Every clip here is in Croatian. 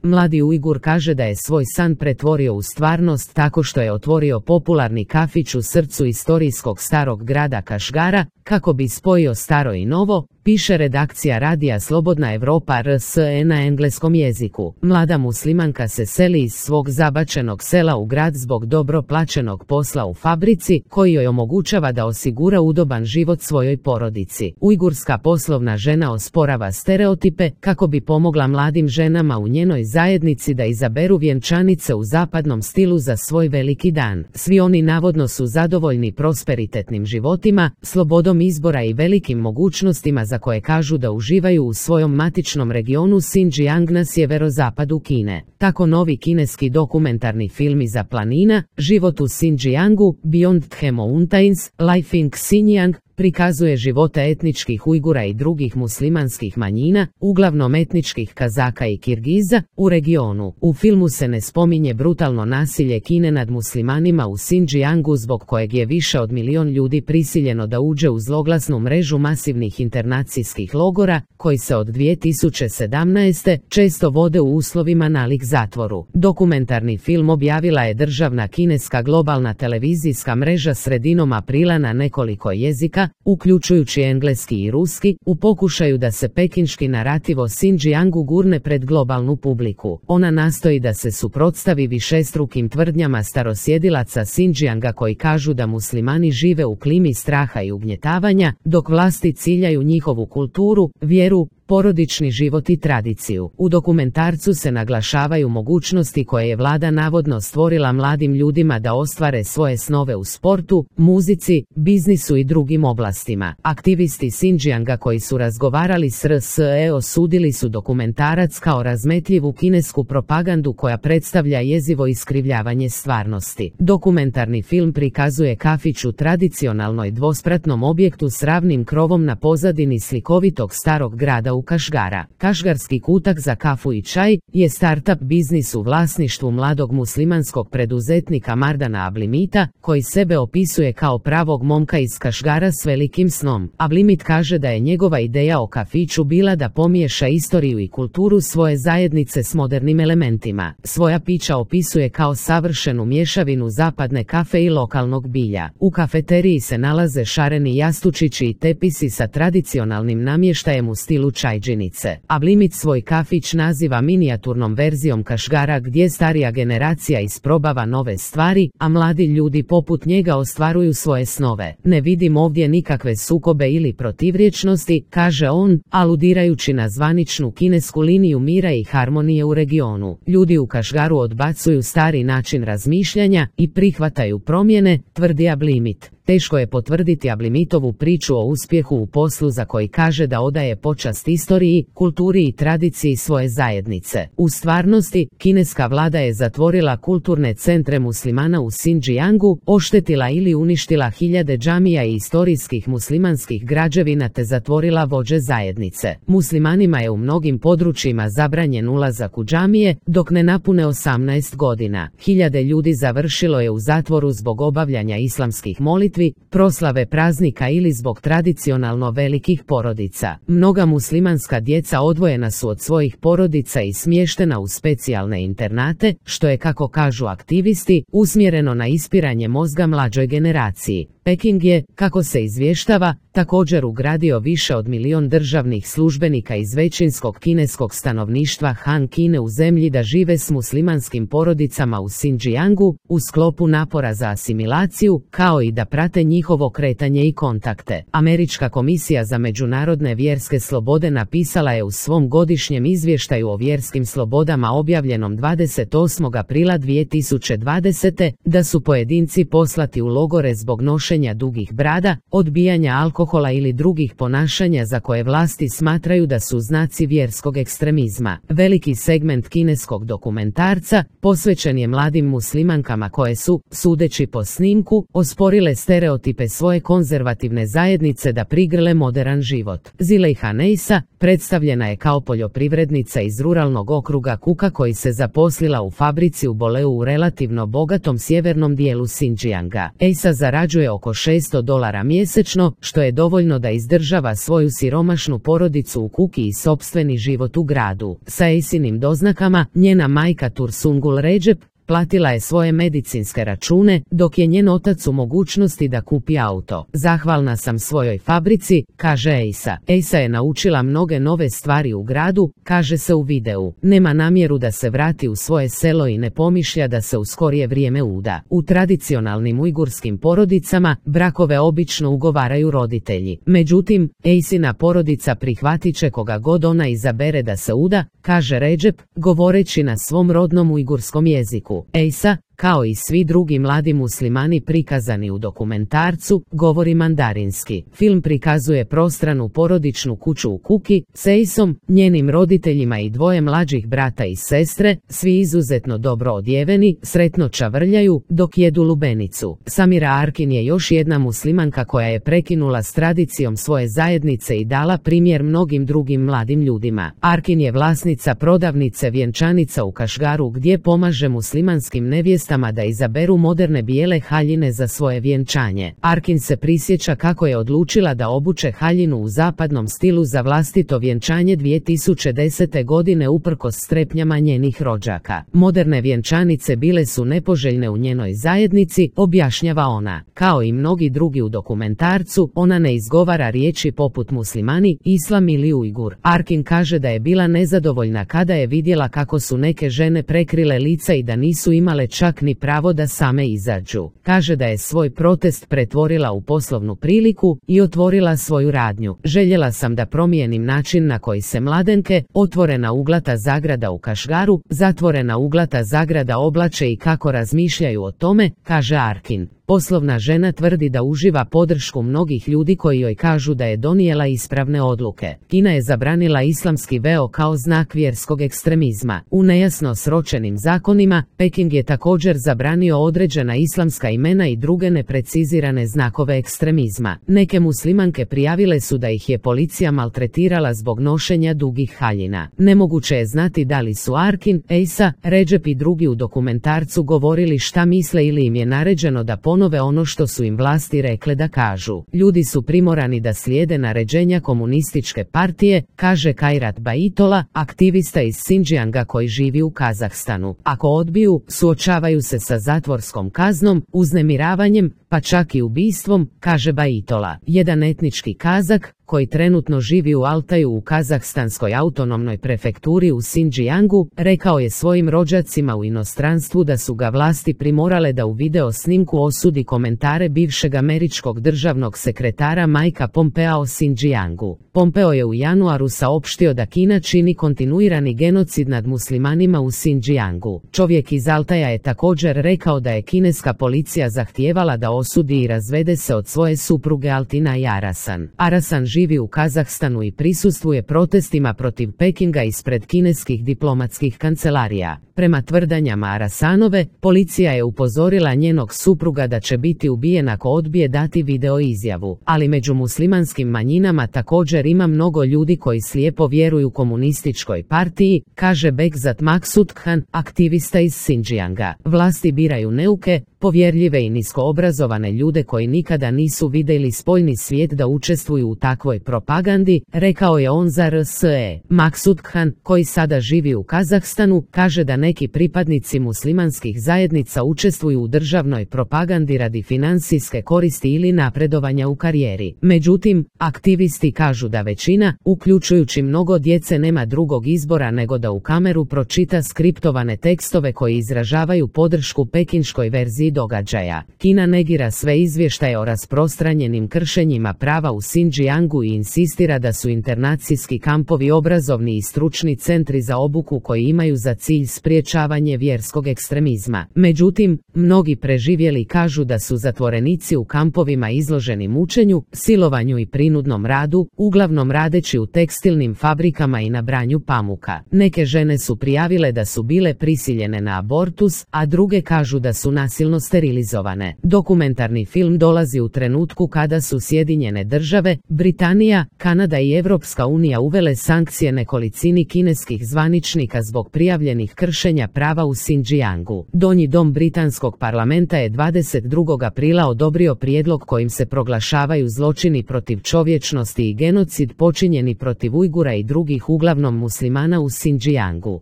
Mladi Ujgur kaže da je svoj san pretvorio u stvarnost tako što je otvorio popularni kafić u srcu istorijskog starog grada Kašgara, kako bi spojio staro i novo, piše redakcija radija Slobodna Evropa RSE na engleskom jeziku. Mlada muslimanka se seli iz svog zabačenog sela u grad zbog dobro plaćenog posla u fabrici, koji joj omogućava da osigura udoban život svojoj porodici. Ujgurska poslovna žena osporava stereotipe kako bi pomogla mladim ženama u njenoj zajednici da izaberu vjenčanice u zapadnom stilu za svoj veliki dan. Svi oni navodno su zadovoljni prosperitetnim životima, slobodom izbora i velikim mogućnostima za koje kažu da uživaju u svojom matičnom regionu Xinjiang na sjeverozapadu Kine. Tako novi kineski dokumentarni film iza planina, Život u Xinjiangu, Beyond the Mountains, Life in Xinjiang, prikazuje živote etničkih Ujgura i drugih muslimanskih manjina, uglavnom etničkih Kazaka i Kirgiza, u regionu. U filmu se ne spominje brutalno nasilje Kine nad muslimanima u Xinjiangu zbog kojeg je više od 1 milion ljudi prisiljeno da uđe u zloglasnu mrežu masivnih internacijskih logora, koji se od 2017. često vode u uslovima nalik zatvoru. Dokumentarni film objavila je državna kineska globalna televizijska mreža sredinom aprila na nekoliko jezika, uključujući engleski i ruski, u pokušaju da se pekinški narativ o Xinjiangu gurne pred globalnu publiku. Ona nastoji da se suprotstavi višestrukim tvrdnjama starosjedilaca Xinjianga koji kažu da muslimani žive u klimi straha i ugnjetavanja, dok vlasti ciljaju njihovu kulturu, vjeru, porodični život i tradiciju. U dokumentarcu se naglašavaju mogućnosti koje je vlada navodno stvorila mladim ljudima da ostvare svoje snove u sportu, muzici, biznisu i drugim oblastima. Aktivisti Xinjianga koji su razgovarali s RSE osudili su dokumentarac kao razmetljivu kinesku propagandu koja predstavlja jezivo iskrivljavanje stvarnosti. Dokumentarni film prikazuje kafić u tradicionalnoj dvospratnom objektu s ravnim krovom na pozadini slikovitog starog grada u Kašgara. Kašgarski kutak za kafu i čaj je startup biznis u vlasništvu mladog muslimanskog preduzetnika Mardana Ablimita, koji sebe opisuje kao pravog momka iz Kašgara s velikim snom. Ablimit kaže da je njegova ideja o kafiću bila da pomiješa istoriju i kulturu svoje zajednice s modernim elementima. Svoja pića opisuje kao savršenu mješavinu zapadne kafe i lokalnog bilja. U kafeteriji se nalaze šareni jastučići i tepisi sa tradicionalnim namještajem u stilu čajđinice. Ablimit svoj kafić naziva minijaturnom verzijom Kašgara gdje starija generacija isprobava nove stvari, a mladi ljudi poput njega ostvaruju svoje snove. Ne vidim ovdje nikakve sukobe ili protivrječnosti, kaže on, aludirajući na zvaničnu kinesku liniju mira i harmonije u regionu. Ljudi u Kašgaru odbacuju stari način razmišljanja i prihvataju promjene, tvrdi Ablimit. Teško je potvrditi Ablimitovu priču o uspjehu u poslu za koji kaže da odaje počast istoriji, kulturi i tradiciji svoje zajednice. U stvarnosti, kineska vlada je zatvorila kulturne centre muslimana u Xinjiangu, oštetila ili uništila hiljade džamija i istorijskih muslimanskih građevina te zatvorila vođe zajednice. Muslimanima je u mnogim područjima zabranjen ulazak u džamije, dok ne napune 18 godina. Hiljade ljudi završilo je u zatvoru zbog obavljanja islamskih molitvi, proslave praznika ili zbog tradicionalno velikih porodica. Mnoga muslimanska djeca odvojena su od svojih porodica i smještena u specijalne internate, što je, kako kažu aktivisti, usmjereno na ispiranje mozga mlađoj generaciji. Peking je, kako se izvještava, također ugradio više od 1 milion državnih službenika iz većinskog kineskog stanovništva Han Kine u zemlji da žive s muslimanskim porodicama u Xinjiangu, u sklopu napora za asimilaciju, kao i da prate njihovo kretanje i kontakte. Američka komisija za međunarodne vjerske slobode napisala je u svom godišnjem izvještaju o vjerskim slobodama objavljenom 28. aprila 2020. da su pojedinci poslati u logore zbog nošenja dugih brada, odbijanja alkohola ili drugih ponašanja za koje vlasti smatraju da su znaci vjerskog ekstremizma. Veliki segment kineskog dokumentarca posvećen je mladim muslimankama koje su, sudeći po snimku, osporile stereotipe svoje konzervativne zajednice da prigrle moderan život. Zilejha Neisa predstavljena je kao poljoprivrednica iz ruralnog okruga Kuka koji se zaposlila u fabrici u Boleu u relativno bogatom sjevernom dijelu Xinjianga. Eisa zarađuje oko oko $600 mjesečno, što je dovoljno da izdržava svoju siromašnu porodicu u kući i sopstveni život u gradu. Sa Ace'inim doznakama, njena majka Tursungul Recep platila je svoje medicinske račune, dok je njen otac u mogućnosti da kupi auto. Zahvalna sam svojoj fabrici, kaže Aca. Aca je naučila mnoge nove stvari u gradu, kaže se u videu. Nema namjeru da se vrati u svoje selo i ne pomišlja da se u skorije vrijeme uda. U tradicionalnim ujgurskim porodicama brakove obično ugovaraju roditelji. Međutim, Acina porodica prihvatit će koga god ona izabere da se uda, kaže Recep, govoreći na svom rodnom ujgurskom jeziku. Aca, kao i svi drugi mladi muslimani prikazani u dokumentarcu, govori mandarinski. Film prikazuje prostranu porodičnu kuću u Kuki, s Aceom, njenim roditeljima i dvoje mlađih brata i sestre, svi izuzetno dobro odjeveni, sretno čavrljaju, dok jedu lubenicu. Samira Arkin je još jedna muslimanka koja je prekinula s tradicijom svoje zajednice i dala primjer mnogim drugim mladim ljudima. Arkin je vlasnica prodavnice vjenčanica u Kašgaru gdje pomaže muslimanskim nevjestima da izaberu moderne bijele haljine za svoje vjenčanje. Arkin se prisjeća kako je odlučila da obuče haljinu u zapadnom stilu za vlastito vjenčanje 2010. godine uprkos strepnjama njenih rođaka. Moderne vjenčanice bile su nepoželjne u njenoj zajednici, objašnjava ona. Kao i mnogi drugi u dokumentarcu, ona ne izgovara riječi poput muslimani, islam ili ujgur. Arkin kaže da je bila nezadovoljna kada je vidjela kako su neke žene prekrile lica i da nisu imale čak ni pravo da same izađu. Kaže da je svoj protest pretvorila u poslovnu priliku i otvorila svoju radnju. Željela sam da promijenim način na koji se mladenke, otvorena uglata zagrada u Kašgaru, zatvorena uglata zagrada oblače i kako razmišljaju o tome, kaže Arkin. Poslovna žena tvrdi da uživa podršku mnogih ljudi koji joj kažu da je donijela ispravne odluke. Kina je zabranila islamski veo kao znak vjerskog ekstremizma. U nejasno sročenim zakonima, Peking je također zabranio određena islamska imena i druge neprecizirane znakove ekstremizma. Neke muslimanke prijavile su da ih je policija maltretirala zbog nošenja dugih haljina. Nemoguće je znati da li su Arkin, Aca, Recep i drugi u dokumentarcu govorili šta misle ili im je naređeno da ponove ono što su im vlasti rekle da kažu. Ljudi su primorani da slijede naređenja komunističke partije, kaže Kairat Baitola, aktivista iz Xinjianga koji živi u Kazahstanu. Ako odbiju, suočavaju se sa zatvorskom kaznom, uznemiravanjem, pa čak i ubistvom, kaže Baitola. Jedan etnički Kazak, koji trenutno živi u Altaju u Kazahstanskoj autonomnoj prefekturi u Xinjiangu, rekao je svojim rođacima u inostranstvu da su ga vlasti primorale da u video snimku osudi komentare bivšeg američkog državnog sekretara Mikea Pompea o Xinjiangu. Pompeo je u januaru saopštio da Kina čini kontinuirani genocid nad muslimanima u Xinjiangu. Čovjek iz Altaja je također rekao da je kineska policija zahtijevala da osudi i razvede se od svoje supruge Altina i Arasan. Arasan živi u Kazahstanu i prisustvuje protestima protiv Pekinga ispred kineskih diplomatskih kancelarija. Prema tvrdanjama Arasanove, policija je upozorila njenog supruga da će biti ubijen ako odbije dati video izjavu. Ali među muslimanskim manjinama također ima mnogo ljudi koji slijepo vjeruju komunističkoj partiji, kaže Bekzat Maksudkhan, aktivista iz Xinjianga. Vlasti biraju neuke, povjerljive i niskoobrazovane ljude koji nikada nisu vidjeli spoljni svijet da učestvuju u takvoj propagandi, rekao je on za RSE. Maksudkhan, koji sada živi u Kazahstanu, kaže da neki pripadnici muslimanskih zajednica učestvuju u državnoj propagandi radi financijske koristi ili napredovanja u karijeri. Međutim, aktivisti kažu da većina, uključujući mnogo djece, nema drugog izbora nego da u kameru pročita skriptovane tekstove koji izražavaju podršku pekinškoj verziji događaja. Kina negira sve izvještaje o rasprostranjenim kršenjima prava u Xinjiangu i insistira da su internacijski kampovi obrazovni i stručni centri za obuku koji imaju za cilj spriječavanje vjerskog ekstremizma. Međutim, mnogi preživjeli kažu da su zatvorenici u kampovima izloženi mučenju, silovanju i prinudnom radu, uglavnom radeći u tekstilnim fabrikama i na branju pamuka. Neke žene su prijavile da su bile prisiljene na abortus, a druge kažu da su nasilno sterilizovane. Dokumentarni film dolazi u trenutku kada su Sjedinjene Države, Britanija Britanija, Kanada i Evropska unija uvele sankcije nekolicini kineskih zvaničnika zbog prijavljenih kršenja prava u Xinjiangu. Donji dom britanskog parlamenta je 22. aprila odobrio prijedlog kojim se proglašavaju zločini protiv čovječnosti i genocid počinjeni protiv Ujgura i drugih uglavnom muslimana u Xinjiangu.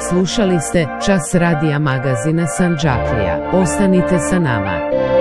Slušali ste Čas radija magazina Sandžaklija. Ostanite sa nama.